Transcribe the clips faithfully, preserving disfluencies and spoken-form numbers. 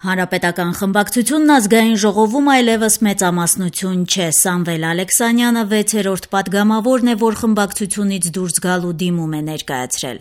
Հանրապետական խմբակցությունն ազգային ժողովում այլևս մեծամասնություն չէ։ Սամվել Ալեքսանյանը վեցերորդ պատգամավորն է, որ խմբակցությունից դուրս գալու դիմում է ներկայացրել։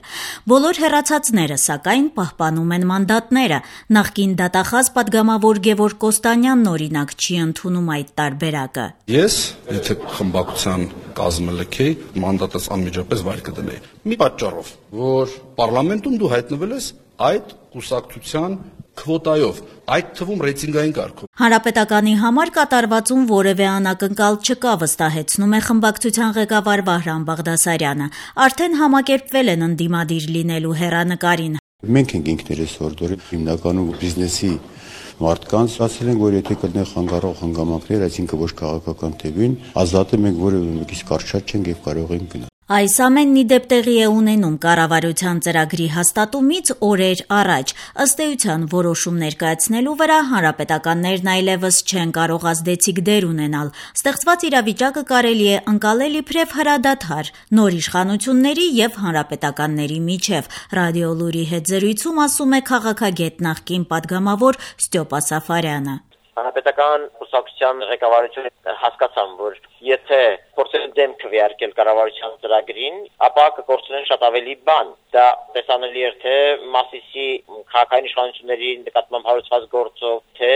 Բոլոր հեռացածները, սակայն, պահպանում են մանդատները։ Նախկին դատախազ պատգամավոր Գևորգ Կոստանյանն օրինակ չի ընդունում այդ տարբերակը։ Ես, եթե խմբակցության կազմը լքեի, մանդատս անմիջապես վայր կդնեի։ Մի պատճառով, որ պարլամենտում դու հայտնվել ես այդ կուսակցության քվոտայով, այդ թվում ռեյտինգային կարգով։ Հանրապետականի համար կատարվածում որևէ անակնկալ չկա, վստահեցնում է խմբակցության ղեկավար Վահրամ Բաղդասարյանը։ Արդեն համակերպվել են ընդդիմադիր լինելու հեռանկարին։ Մենք ենք ինքներս հորդորի հիմնականում բիզնեսի մարդկանց ասել են, որ եթե կլինեն խանգարող հանգամանքներ, այսինքն ոչ քաղաքական թևին, ազատ է, մենք որևէ մեկից կարճած չենք եւ կարող ենք գնալ։ Այս ամենն ի դեպ տեղի է ունենում կառավարության ծրագրի հաստատումից օրեր առաջ։ Ըստ էության որոշում ներկայացնելու վրա հանրապետականներն այլևս չեն կարող ազդեցիկ դեր ունենալ։ Ստեղծված իրավիճակը կարելի է ընկալել իբրև հրադադար նոր իշխանությունների եւ հանրապետականների միջև։ Ռադիո Լուրի հետ զրույցում ասում է քաղաքագետ նախկին պատգամավոր Ստյոպա Սաֆարյանը։ Հանրապետական կուսակցության ղեկավարությունը հասկացան, որ եթե փորձեն դեմ քվեարկել կառավարության ծրագրին, ապա կկործնեն շատ ավելի բան։ Դա տեսանելի էր թե Մասիսի քաղաքային իշխանությունների նկատմամբ հարուցված գործով, թե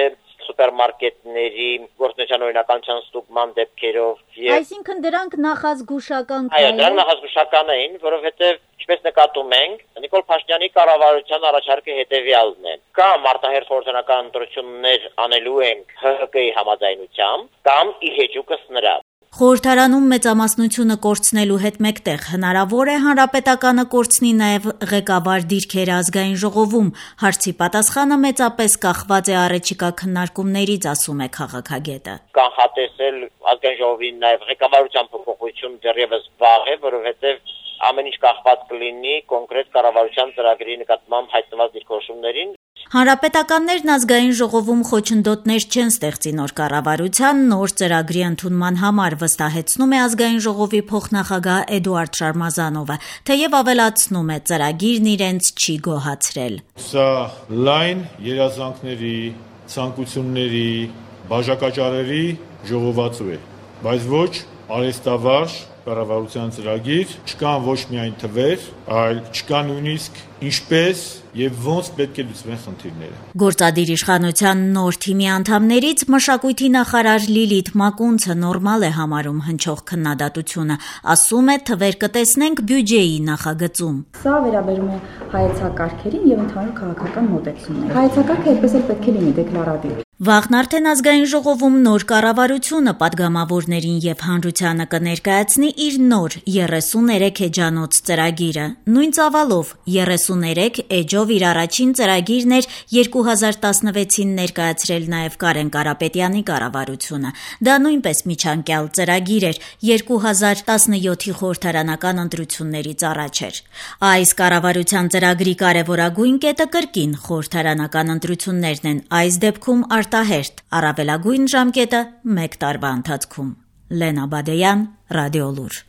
սուպերմարկետների գործնական օրինականության ստուգման դեպքերով։ Այսինքն դրանք նախազգուշական Այո, դրանք նախազգուշական էին, որովհետև ինչպես նկատում ենք, Նիկոլ Փաշինյանի կառավարության առաջարկը հետևյալն է. կամ արտահերթ խորհրդանական ընտրություններ անելու ենք Հ Հ Կ-ի համաձայնությամբ, կամ ի հեճուկս նրա։ Խորհրդարանում մեծամասնությունը կորցնելու հետ մեկտեղ հնարավոր է հանրապետականը կորցնի նաև ղեկավար դիրքերը ազգային ժողովում։ Հարցի պատասխանը մեծապես կախված է առաջիկա քննարկումներից, ասում է քաղաքագետը։ Կանխատեսել ազգային ժողովի նաև ղեկավարության փոփոխություն դեռևս վաղ է, որովհետև ամեն ինչ կախված կլինի կոնկրետ կառավարության ծրագրի նկատմամբ հայտնված դիրքորոշումներին։ Հանրապետականներն ազգային ժողովում խոչընդոտներ չեն ստեղծի նոր կառավարության նոր ծրագրի ընդունման համար, վստահեցնում է ազգային ժողովի փոխնախագահ Էդուարդ Շարմազանովը, թեև ավելացնում է ծրագիրն իրենց չի գոհացրել։ Սա լայն երազանքների, ցանկությունների, բաժակաճառերի ժողովածու է, բայց ոչ արհեստավարժ կառավարության ծրագիր, չկան ոչ միայն թվեր, այլ չկա նույնիսկ ինչպես եւ ոնց պետք է լուծվեն խնդիրները։ Գործադիր իշխանության նոր թիմի անդամներից մշակույթի նախարար Լիլիթ Մակունցը նորմալ է համարում հնչող քննադատությունը, ասում է թվեր կտեսնենք բյուջեի նախագծում։ Սա վերաբերում է հայեցակարգերին եւ ընդհանուր քաղաքական մոտեցումներին։ Հայեցակարգը այդպես էլ պետք է լինի դեկլարատիվ։ Վաղն արդեն ազգային ժողովում նոր կառավարությունը պատգամավորներին եւ հանրությանը կներկայացնի իր նոր երեսուներեք էջանոց ծրագիրը։ Նույն ծավալով երեսուներեք էջով իր առաջին ծրագիրն էր երկու հազար տասնվեցին ներկայացրել նաեւ Կարեն Կարապետյանի կառավարությունը։ Դա նույնպես միջանկյալ ծրագիր էր, երկու հազար տասնյոթի խորհրդարանական ընտրություններից առաջ էր։ Այս կառավարության ծրագրի կարևորագույն կետը կրկին խորհրդարանական ընտրություններն են, այս դեպքում արտահերթ, առավելագույն ժամկետը մեկ տարվա ընթացքում։ Լենա Բադեյան, Ռադիո Լուր։